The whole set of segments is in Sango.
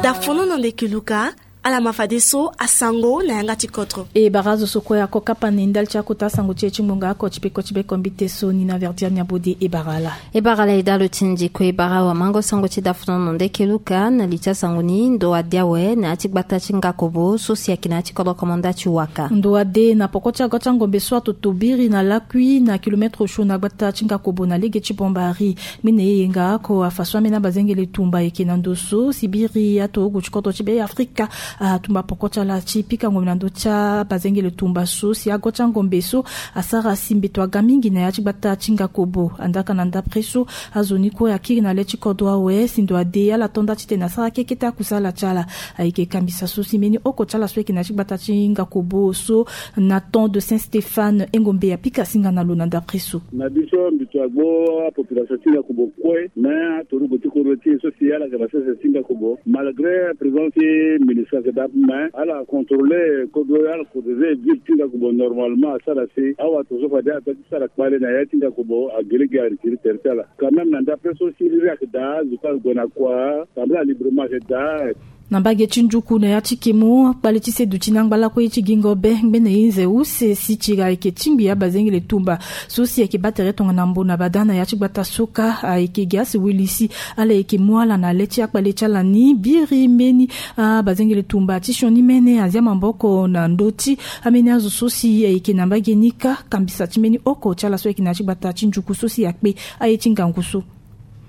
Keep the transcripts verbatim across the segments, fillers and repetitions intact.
Dafono na ndeke luka. Ala ma fadeso asango na yanga ti kodro. E bara azo so kue ako kapa na e ndali ti akota asango ti e ti ngbonga oko ti peko ti beko mbite so ni na verdiania bode e bara ala. E bara ala e dalo ti nzi kue e bara awamango sango ti dafono na ndeke luka na li ti asango ni ndo adi awe na ya ti gbata ti ngakobo so si ayeke na ya ti kodro komanda ti waka. Ndo ade na poko ti ago ti angombe so atoto biri na lakui na kilometre osio na gbata ti ngakobo na lege ti bombari. Mbi na e yenga oko afa so ambeni abazengele tumba ayeke na ndo so si biri atogo ti kodro ti be afrika atumba poko ti ala ti pika ngombe na ndö ti abazengele tumba so si ago ti angombe so asara si mbeto aga mingi na ya ti gbata ti ngakobo andaka na ndapre so azo ni kue akiri na le ti kodro awe si ndo ade ala to nda titene asara kekete akusala ti ala. Ayeke kambisa so si mbeni oko ti ala so ayeke na ya ti gbata ti ngakobo so na temps de saint stéphane engombe apika singa na lo na ndapre so. Na biso mbi to agbo apopulation ti ngakobo kue me atorugo ti kodro ti e so si ala yeke na sese ti ngakobo malgré présence ti ministre ake dap me ala contrôler kodro ala protéger ville ti ngakobo normalement asara si awa to so fade ato ti sara kpale na ya ti ngakobo agere gi aritiri tere ti ala. Quand même na ndapre so si riri ake daa azo kue ague na kua tambula librement ake daa. Na mbage ti njuku na ya ti kemo akpale ti seduti na angba lakue ti gingo be ngbene ye nze use si tira ayeke tingbi abazengele tumba so si ayeke baa tere tongana mbo na bada na ya ti gbata soka ayeke gi asi wili si ala yeke mu ala na le ti akpale ti ala ni biri mbeni abazengele tumba ti sioni mene azia maboko na ndö ti ambeni azo so si ayeke na mbage ni kâ kambisa ti mbeni oko ti ala so ayeke na ya ti gbata ti njuku so si akpe aye ti ngangu so.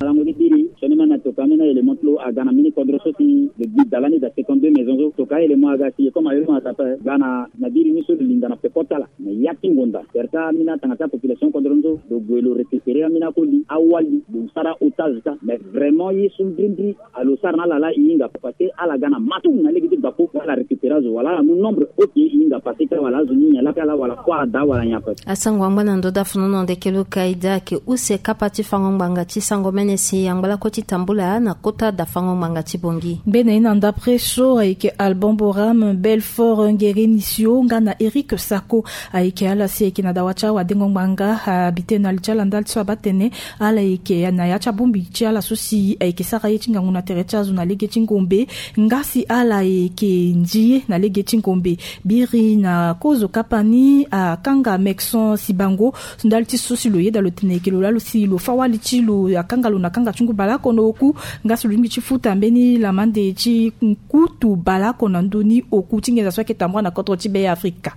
Alango ti biri sioni mene atoka ambeni a-élément ti lo aga na mbeni kodro so si le gbi da lani da cinquante-deux maison so toka a-élément aga si e comme a-élément ata pe gba na na biri ni so lo linda na peko ti ala na ya ti ngonda tere ti ambeni atanga ti apopulation kodro ni so lo gue lo récupérer ambeni akoli awali lo sara otage ka mais vraiment ye so mbrimbri alo sara na ala laa e hinga parce que ala ga na matu na lege ti gbako wala ala récupérer azo wala ala mu nombre oke e hinga parce que wala azo ni nyen laa pe ala wala kua ada wala nyen ape. Asango angba na ndö dafono na ndeke luka e daa ayeke use kapa ti fango ngbanga ti sango mene si angba lakue ti tambula na kota dafango ngbanga ti bongi. Mbene ye na ndapre so ayeke albon boram belfort ngerenisio nga na eric sako. Ayeke ala si ayeke na dawa ti awadengo ngbanga abite na li ti ala ndali ti so abaa tene ala yeke na ya ti abongbi ti ala so si ayeke sara ye ti ngangu na tere ti azo na lege ti ngombe nga si ala yeke nzi ye na lege ti ngombe. Biri na kozo kapa ni akanga mekson sibango ndali ti so si lo yeda lo tene yeke lo laa lo si lo fâ wali ti lo akanga lo na kanga ti ngu baleoko na oku nga si lo lingbi ti futa mbeni lamande ti kutu baleoko na ndö ni oku ti nginza so ayeke tambula na kodro ti be afrika.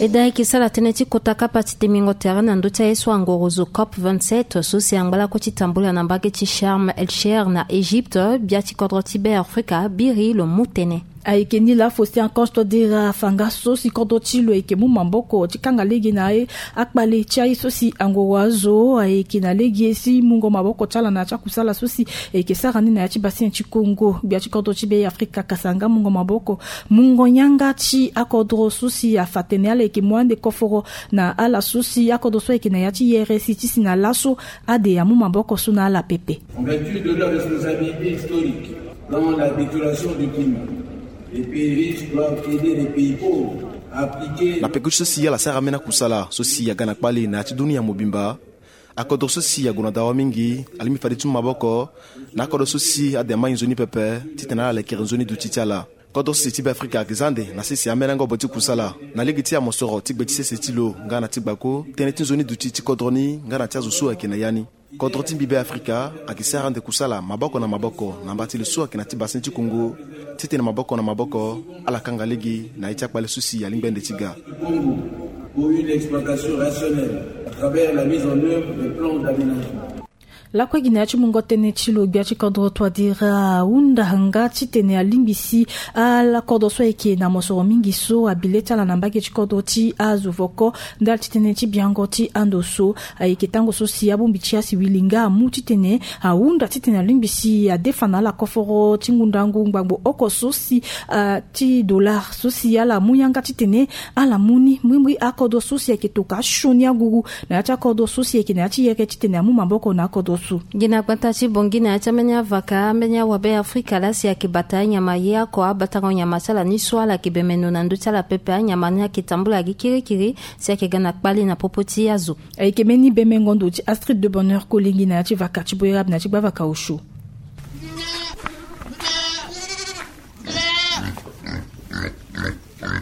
E daa e yeke sara tënë ti kota kapa ti temingo tere na ndö ti aye so angorozo cop vingt-sept so si angba lakue ti tambula na mbage ti sharm el sher na egypte gbia ti kodro ti be afrika biri lo mu tënë. Ayeke ni laa faustin archange touadera afa nga so si kodro ti lo ayeke mu maboko ti kanga lege na akpale ti aye so si angoro azo ayeke na lege si mungo maboko ti ala na ya ti akusala so si ayeke sara ni na ya ti bassin ti kongo gbia ti kodro ti be afrika kasa nga mungo maboko mungo yanga ti akodro so si afa tene ala yeke mu ande koforo na ala so si akodro so ayeke na ya ti yere si ti si na laso ade amu maboko so na ala pepe. En vertu de leur responsabilité historique dans la détérioration du climat, les pays riches doivent aider les pays pauvres à appliquer. Na peko ti so si ala sara ambeni akusala so si aga na kpale na ya ti dunia mobimba. Akodro so si ague na dawa mingi alingbi fade ti mu maboko na akodro so si ade amai nzoni pepe titene ala lekere nzoni duti ti ala. Kodro sese ti be afrika ayeke za ande na sese ambeni angobo ti kusala na lege ti amosoro ti gbe ti sese ti lo nga na ti gbako tënë ti nzoni duti ti kodro ni nga na ti azo so ayeke na ya ni. Kodro ti mbi be afrika ayeke sara ande kusala maboko na maboko na mba ti lo so ayeke na ti bassin ti kongo titene maboko na maboko ala kanga lege na ye ti akpale so si alingbi ande ti ga. Pour une exploitation rationnelle à travers la mise en œuvre des plans d'aménagement. Lakue gi na ya ti mungo tënë ti lo gbia ti kodro touadera ahunda nga titene alingbi si ala kodro so ayeke na mosoro mingi so abi le ti ala na mbage ti kodro ti azo voko ndali ti tënë ti biango ti ando so. Ayeke tango so si abongbi ti asiwili nga amu titene ahunda titene alingbi si adefa na ala koforo ti ngundangu ngbangbo oko so si ti dollar so si ala mu yanga titene ala mu ni mbrimbri akodro so si ayeke toka asioni aguru na ya ti akodro so si ayeke na ya ti yeke titene amu maboko na akodro Gi na gbata ti Bangui na ya ti ambeni avaka, ambeni awabe Afrika laa si ayeke bata anyama ye oko, abatango nyama ti ala ni so ala yeke bemeno na ndö ti ala pepe. Anyama ni ayeke tambula gi kirikiri si ayeke ga na kpale na popo ti azo. Ayeke mbeni bemengo ndo ti Astrid de Bonheur Kolingui na ya ti vaka ti Boerab na ya ti gbavaka osio.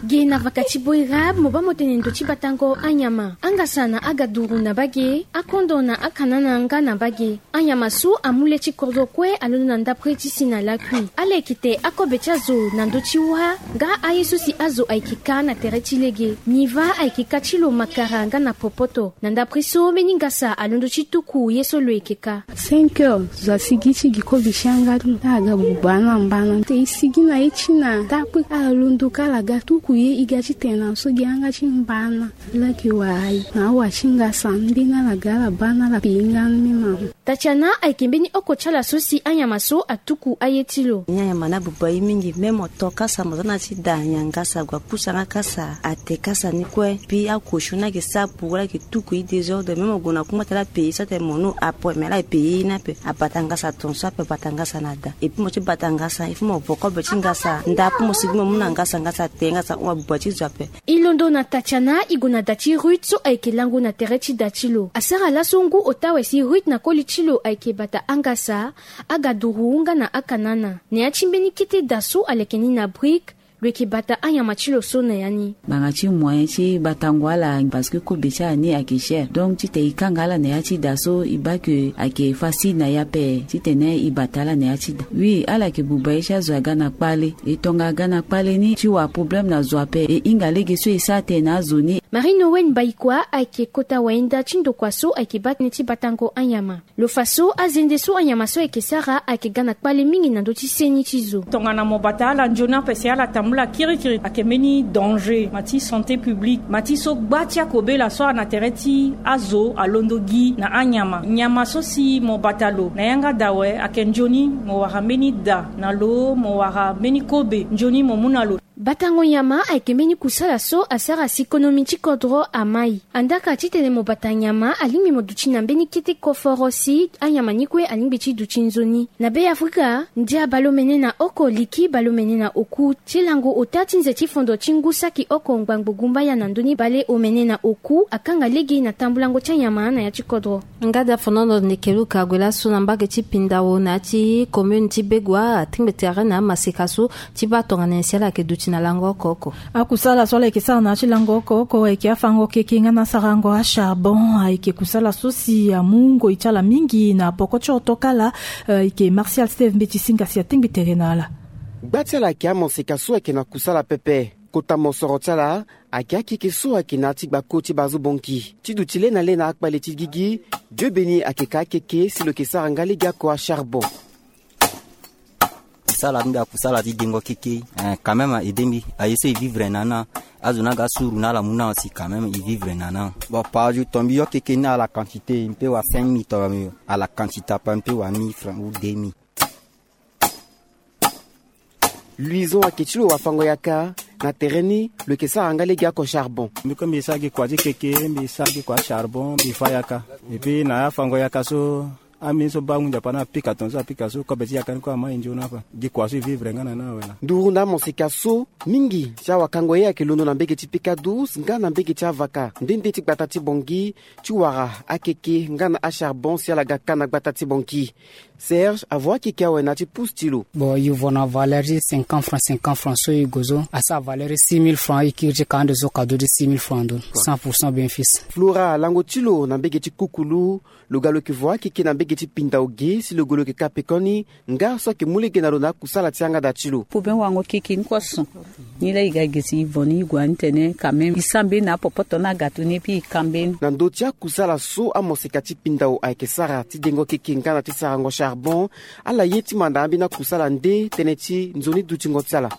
Ge na vaka ti Boerab, mo baa mo tene ndo ti batango anyama. Angasa na agaduru na bage, akondo na akanana nga na bage. Anyama so amu le ti kodro kue alondo na ndapre ti si na lakui. Ala yeke te akobe ti azo na ndö ti wâ, nga aye so si azo ayeke ka na tere ti lege. Niva ayeke ka ti lo makara nga na popoto. Na ndapre so mbeni ngasa alondo ti tuku ye so lo yeke ka. Cinq heures, zo asigi ti gi kobe ti yanga ti lo. Ala ga buba na mbana. Te e sigi na ye ti na ndapre, ala londo ka ala ga tuku ye, e ga ti tene na so gi yanga ti mbana. Ala yeke wara aye na awa ti ngasa, mbeni ala ga ala baa na ala pei nga ni mama. Tatiana ayeke mbeni oko ti ala so si anyama so atuku aye ti lo. Ni anyama ni abuba ye mingi, même mo to kasa mo za na ya ti da nyangasa, gue apusa nga kasa, ate kasa ni kue. Puis akosio ni ayeke sara pour ala yeke tuku ye désordre, même mo gue na kungba ti ala pei so atene mo no apo, mais ala pei ye ni ape. Abata ngasa tongaso ape, abata ngasa na da. Et puis mo ti bata ngasa, il faut mo vo kobe ti ngasa, nda apo mo sigi mo mu na ngasa, ngasa ate, ngasa hon, abuba ti zo ape. E londo na Tatiana, e gue na da ti Ruth so ayeke lango na tere ti da ti lo. Asara laso ngu ota awe si Ruth na koli ti lo ayeke bata angasa, agaduru nga na akanana. Na ya ti mbeni kete da so aleke ni na brique, lo yeke bata anyama ti lo so na ya ni. Ngbanga ti moyen ti batango ala, parce que kobe ti ala ni ayeke cher. Donc titene e kanga ala na ya ti da so, e baa ke ayeke facile na e ape titene e bata ala na ya ti da. Oui, ala yeke buba ye ti azo aga na kpale. E tonga aga na kpale ni ti wara problème na zo ape. E hinga lege so e sara tënë na azo ni. Marie Noël Mbaïkwa ayeke kota wayenda ti ndokua so ayeke baa tënë ti batango anyama. Lo fa so azende so anyama so ayeke sara ayeke ga na kpale mingi na ndö ti seni ti zo. Tongana mo bata ala nzoni ape si ala tambula kirikiri, ayeke mbeni danger, ma ti santé publique, ma ti so gba ti akobela so a na tere ti azo alondo gi na anyama. Nyama so si mo bata lo na yanga da awe, ayeke nzoni mo wara mbeni da na lo, mo wara mbeni kobe nzoni mo mu na lo. Batango nyama ayeke mbeni kusala so asara si konomi ti kodro amai. Andaka titene mo bata nyama, alingbi mo duti na mbeni kete koforo si anyama ni kue alingbi ti duti nzoni. Na Be Afrika, ndia baleomene na oko, liki baleomene na oku, ti lango ota ti nze ti fondo ti ngu saki oko ngbangbo gumbaya na ndö ni baleomene na oku akanga lege na tambulango ti anyama na ya ti kodro. Nga da fonono ndeke luka ague laso na mbage ti Pindao na ya ti commune ti Begoua, atingbi tere na amaseka so ti baa tongana nyen si ala yeke duti na lango oko oko. Akusala so ala yeke sara na ya ti lango oko oko ayeke afango keke nga na asarango acharbon. Ayeke kusala so si amu ngoi ti ala mingi na poko ti otokala. Eh, ayeke Martial Steve Mbeti Singa si atingbi tere na ala. Gba ti ala ayeke amaseka so ayeke na kusala pepe. Kota mosoro ti ala ayeke akeke so ayeke na ya ti gbako ti Bazo Bonki. Ti duti le na le na akpale ti gigi, Dieu Béni ayeke ka akeke si lo yeke sara nga lege oko acharbon. Sala ni mbi akusala ti dengo keke. Eh, quand même a aidé mbi. Aye so e vivre na ni, azo ni aga suru na ala mu na si quand même e vivre na ni. Bon, par jour ton mbi yo keke ni à la quantité, mbi peut wara cinq mille ton à la quantité ape, mbi peut wara mille francs ou deux mille. Louison ayeke ti lo wafango yaka. Na tere ni lo yeke sara nga lege oko charbon. Mbi kue mbi sara gi kua ti keke, mbi sara gi kua charbon, mbi fa yaka. Et puis na ya fango yaka so, ambeni so baa ngu nzapa ni apika tongaso apika so, kobe ti yaka ni kue amai nzoni ape. Gi kua so e vivre nga na ni awe laa. Nduru na amoseka so mingi ti awakango ye ayeke londo na mbege ti Picadous nga na mbege ti Avaka nde nde ti gbata ti Bangui, ti wara akeke nga na acharbon si ala ga ka na gbata ti Bangui. Serge avo akeke awe na ya ti pousse ti lo. Bon, e vo na valeur ti cinquante francs, cinquante francs so e gue so asara valeur ti six mille francs, e kiri ti ka ande so kado ti six mille francs ndo, cent pour cent bénéfice. Flora alango ti lo na mbege ti Kukulu. Lo ga lo yeke vo akeke na mbege ti Pindao ge si lo gue lo yeke ka pekoni nga so ayeke mu lege na lo na akusala ti yanga da ti lo. Pour bien wango keke ni kue so. Ni laa e ga ge si e vo ni, e gue ani tene quand même e sara mbeni na apopoto ni, agato ni, puis e ka mbeni. Na ndö ti akusala so amoseka ti Pindao ayeke sara ti dengo keke nga na ti sarango charbon, ala ye ti manda ambeni akusala nde tënë ti nzoni dutingo ti ala.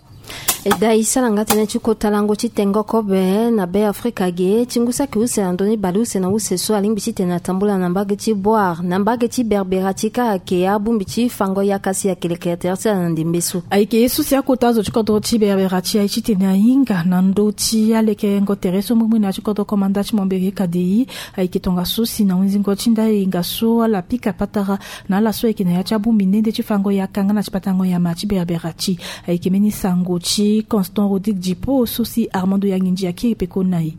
E dai sara nga tënë ti kota lango ti tengo kobe na Be Afrika ge ti ngu saki use na ndoni baleuse na use so alingbi titene atambula na mbage ti Bouar na mbage ti Berbera ti ka ayeke abongbi ti fango yaka si ayeke lekere tere ti ala na ndembe so. Ayeke ye so si akota azo ti kodro ti Berbera ti aye titene ahinga na ndö ti alekerengo tere so mbumbui na ya ti kodro komanda ti Momberi K D I. Ayeke tongaso si na hunzingo ti ndali hinga so ala pika patara na ala so ayeke na ya ti abongbi nde nde ti fango yaka nga na ti batango nyama ti Berbera ti ayeke mbeni sango ti Constant Rodrigue Dipo so si Armando Yanginji akiri peko na e.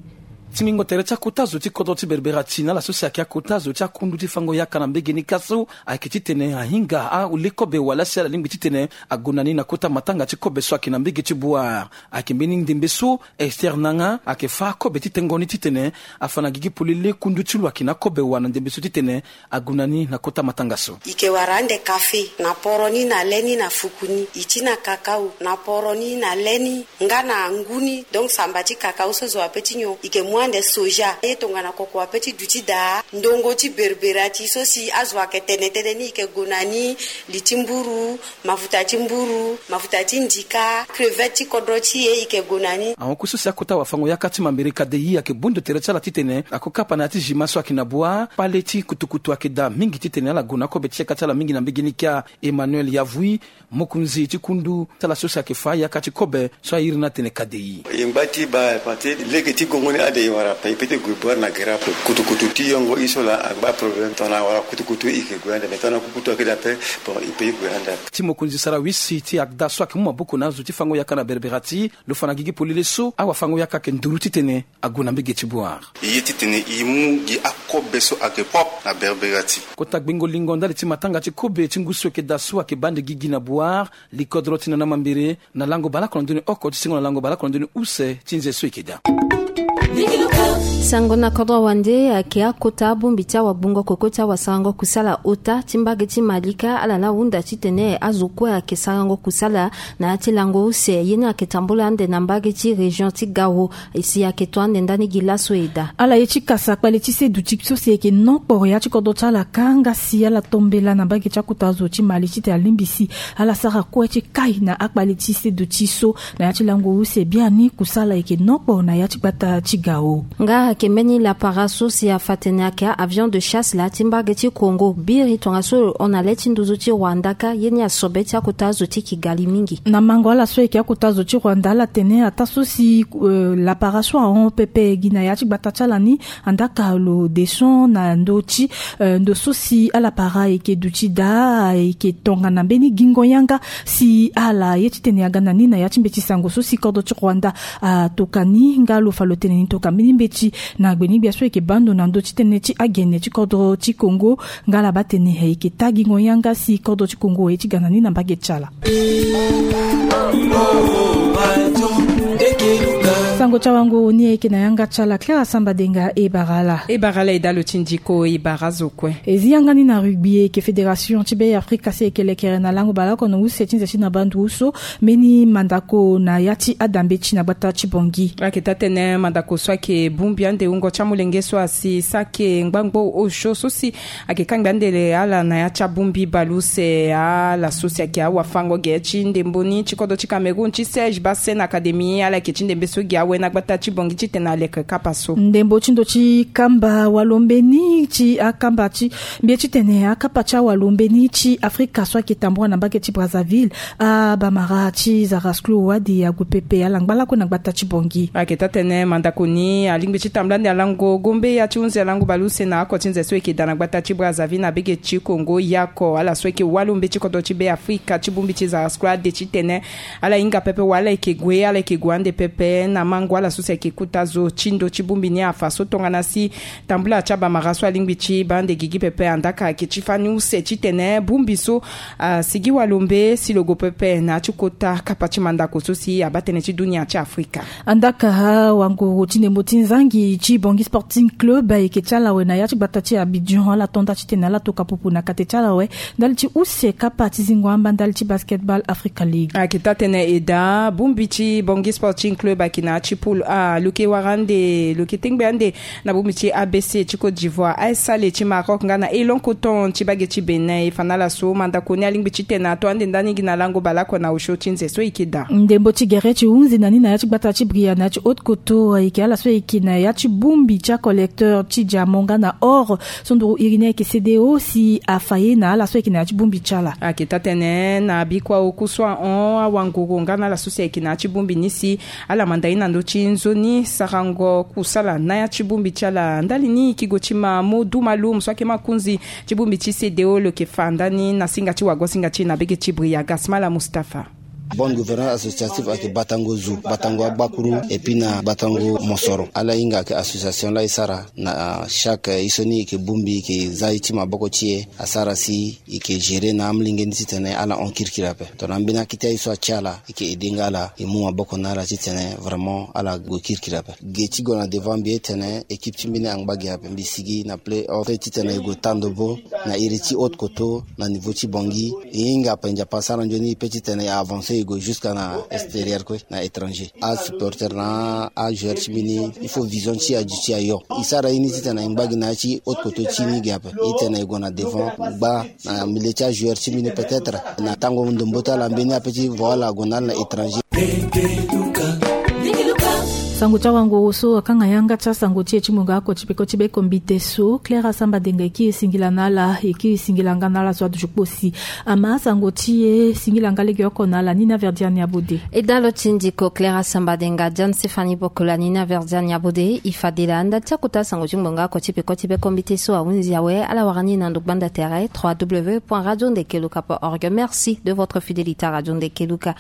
Tingingo tere ti akota zo ti kodro ti Berbera ti na ala so si ayeke akota zo ti akundu ti fango yaka na mbege ni ka so ayeke titene ahinga aule kobe wala si ala lingbi titene ague na ni na kota matanga ti kobe so ayeke na mbege ti Bouar. Ayeke mbeni ndembe so Esther Nanga ayeke fâ kobe ti tengo ni titene afa na gigi polele kundu ti lo ayeke na kobe wa na ndembe so titene ague na ni na kota matanga so. I ke wara ande kafe na poro ni na le ni na fuku ni. I ti na kakao na poro ni na le ni nga na ngu ni. Donc samba ti kakao so zo ape ti nyon. I ke mu ande soja ye tongana koko ape ti duti daa ndongo ti Berbera ti so si azo ayeke tene tënë ni i ke gue na ni. Li ti mburu, mafuta ti mburu, mafuta ti ndika, crevette ti kodro ti e i ke gue na ni. Ahon kue so si akota wafango yaka ti Momberi K D I ayeke bondo tere ti ala titene ako kapa na ya ti zima so ayeke na Bouar. Kpale ti kutukutu ayeke daa mingi titene ala gue na kobe ti yaka ti ala mingi na mbege ni kia. Emmanuel Yavui, mokonzi ti kundu ti ala so si ayeke fâ yaka ti kobe so a iri ni atene K D I. E ngba ti baa parce que lege ti gongo ni ande e wara ape e peut ti gue Bouar na gere ape. Kutukutu ti yongo i so laa angba problème tongana awara kutukutu i ke gue ande me tongana kukutu ayeke daa ape. Bon, i peut ti gue ande ape. Ti mokonzi sarawisi ti ACDA so ayeke mu maboko na azo ti fango yaka na Berbera ti lo fa na gigi polele so awafango yaka ayeke nduru titene ague na mbege ti Bouar. E ye titene e mu gi akobe so ayeke propre na Berbera ti. Kota gbengo lingo ndali ti matanga ti kobe ti ngu so ayeke daa so ayeke baa ande gigi na Bouar. Li kodro ti nana mambere na lango baleoko na ndoni oko ti sengo na lango baleoko na ndoni use ti nze so e yeke daa. Sango na kodro wande ayeke akota abongbi ti awagbungo koko ti awasarango kusala ota ti mbage ti Mali ka ala laa ahunda titene azo kue ayeke sarango kusala na ya ti lango use ye ni ayeke tambula ande na mbage ti région ti Gao. E si ayeke to ande ndani gi laso e daa. Ala ye ti kasa kpale ti seduti so si ayeke nokporo ya ti kodro ti ala ka nga si ala tombela na mbage ti akota zo ti Mali titene alingbi si ala sara kue ti kai na akpale ti seduti so na ya ti lango use biani kusala ayeke nokporo na ya ti gbata ti Gao. Nga ayeke mbeni lapara so si afa tene ayeke a-avion de chasse laa ti mbage ti Congo biri tongaso lo hon na le ti nduzu ti Rwanda ka ye ni asobe ti akota zo ti Kigali mingi. Na mango ala so ayeke akota zo ti Rwanda ala tene ataa so si lapara so ahon pepe gi na ya ti gbata ti ala ni. Andaka lo deson na ndö ti ndo so si alapara ayeke duti daa ayeke tongana mbeni gingo yanga si ala ye titene aga na ni na ya ti mbeti sango so si kodro ti Rwanda atoka ni nga lo fa lo tene ni toka mbeni mbeti na gbeni gbia so ayeke baa ndo na ndö ti tënë ti agene ti kodro ti Congo. Nga ala baa tene ayeke taa gingo yanga si kodro ti Congo aye ti ga na ni na mbage ti ala. Sango ti awanguru ni ayeke na yanga ti ala Clara Samba Denga. E bara ala. E bara ala e dalo ti ndiko e bara azo kue. E zi yanga ni na rugby ayeke fédération ti Be Afrika si ayeke lekere na lango baleoko na use ti nze ti na bandu so mbeni mandako na ya ti adambe ti na gbata ti Bangui. Ayeke taa tënë mandako so ayeke bongbi ande wungo ti amolenge so asi sake ngbangbo osio so si ayeke kangbi ande le ala na ya ti abongbi baleuse ala so si ayeke awafango ge ti ndembo ni ti kodro ti Cameroun ti Serge Bassène Académie ala yeke ti ndembe so gi awe na gbata ti Bangui titene aleke kapa so. Ndembo ti ndo ti kamba walombe ni ti akamba ti mbi ye titene akapa ti awalombe ni ti Afrika so ayeke tambula na mbage ti Brazzaville. Abamara ti Zarasclo Wade ague pepe ala ngba lakue na gbata ti Bangui. Ayeke taa tënë mandako ni alingbi ti tambula ande alango gombe ya ti hunzi alango baleuse na oko ti nze so e yeke daa na gbata ti Brazzaville na bege ti Congo yako ala so e yeke walombe ti kodro ti Be Afrika ti bongbi ti Zarasclo Wade titene ala hinga pepe wala e yeke gue ala e yeke gue ande pepe na mango ala so si ayeke kota zo ti ndo ti bongbi ni afa so tongana si tambula ti abamara so alingbi ti baa ande gigi pepe andaka ayeke ti fani use titene bongbi so asigi walombe si lo gue pepe na ya ti kota kapa ti mandako so si abaa tënë ti dunia ti Afrika. Andaka wanguru ti ndembo ti nzangi ti Bangui Sporting Club ayeke ti ala awe na ya ti gbata ti Abidjan ala to nda titene ala toka pupu na kate ti ala awe ndali ti use kapa ti zingo amba ndali ti basketball Africa League. Ayeke taa tënë e daa bongbi ti Bangui Sporting Club ayeke na ya ti Poule A lo yeke wara ande lo yeke tengbe ande na bongbi ti A B C ti Côte d'Ivoire, Al Sahle ti Maroc nga na Élan Coton ti bage ti Bénin. E fa na ala so mandako ni alingbi titene ato ande ndani gi na lango baleoko na osio ti nze so e yeke daa. Ndembo ti gere ti hunzi na ni na ya ti gbata ti Bria na ya ti Haute-Kotto ayeke ala so ayeke na ya ti bongbi ti acollecteur ti diamant nga na or. So nduru iri ni ayeke C D O si afa ye na ala so ayeke na ya ti bongbi ti ala. Ayeke taa-tënë na bikua oku so ahon awanguru nga na ala so si ayeke na ya ti bongbi ni si ala manda ye na ndö ti nzoni sarango kusala na ya ti bongbi ti ala. Ndali ni e ke gue ti ma Modou Maloum so ayeke makonzi ti bongbi ti C D O lo yeke fa ndani na singa ti wago singa ti e na bege ti Bria, Gasmala Mustapha. Bonne gouvernance associative ayeke batango zo, batango agbakuru, et puis na batango mosoro. Ala hinga ayeke association la e sara na chaque ye so ni e yeke bongbi e yeke za ye ti maboko ti e asara si e yeke gérer na amolenge ni titene ala hon kirikiri ape. Tongana ambeni akete aye so atia ala e yeke aidé nga ala e mu maboko na ala titene vraiment ala gue kirikiri ape. Ge ti gue na devant mbi ye tene équipe ti mbeni angba ge ape, mbi sigi na play-off titene e gue tandobo na iri ti Haute-Kotto na niveau ti Bangui. E hinga ape Nzapa asara nzoni e peut titene e avancer e gue jusqu'à na extérieur kue, na étranger. Asupporter na ajoueur ti mbeni il faut vision ti aduti ayo. E sara ye ni titene e ngba gi na ya ti Haute-Kotto ti ni ge ape. E tene e gue na devant gba na milieu ti ajoueur ti mbeni peut-être na tango ndombo ti ala mbeni ape ti vo ala ague na ala na étranger. Sango ti awanguru so akanga yanga ti asango ti e ti mungo oko ti peko ti be kombite so, Claire Asamba Denga e kiri singila na ala, e kiri singila nga na ala so aduti kposi. Ama asango ti e singila nga legeoko na ala Nina Verdiane Abode. E dalo ti ndiko Claire Asamba Denga, Diane Stéphanie Bokola, Nina Verdiane Abode. E fade laa ndali ti akota sango ti mungo oko ti peko ti be kombite so ahunzi awe, ala wara ni na ndo gbanda tere trois W point radio ndekeluka point org. Merci de votre fidélité à Radio Ndekeluka.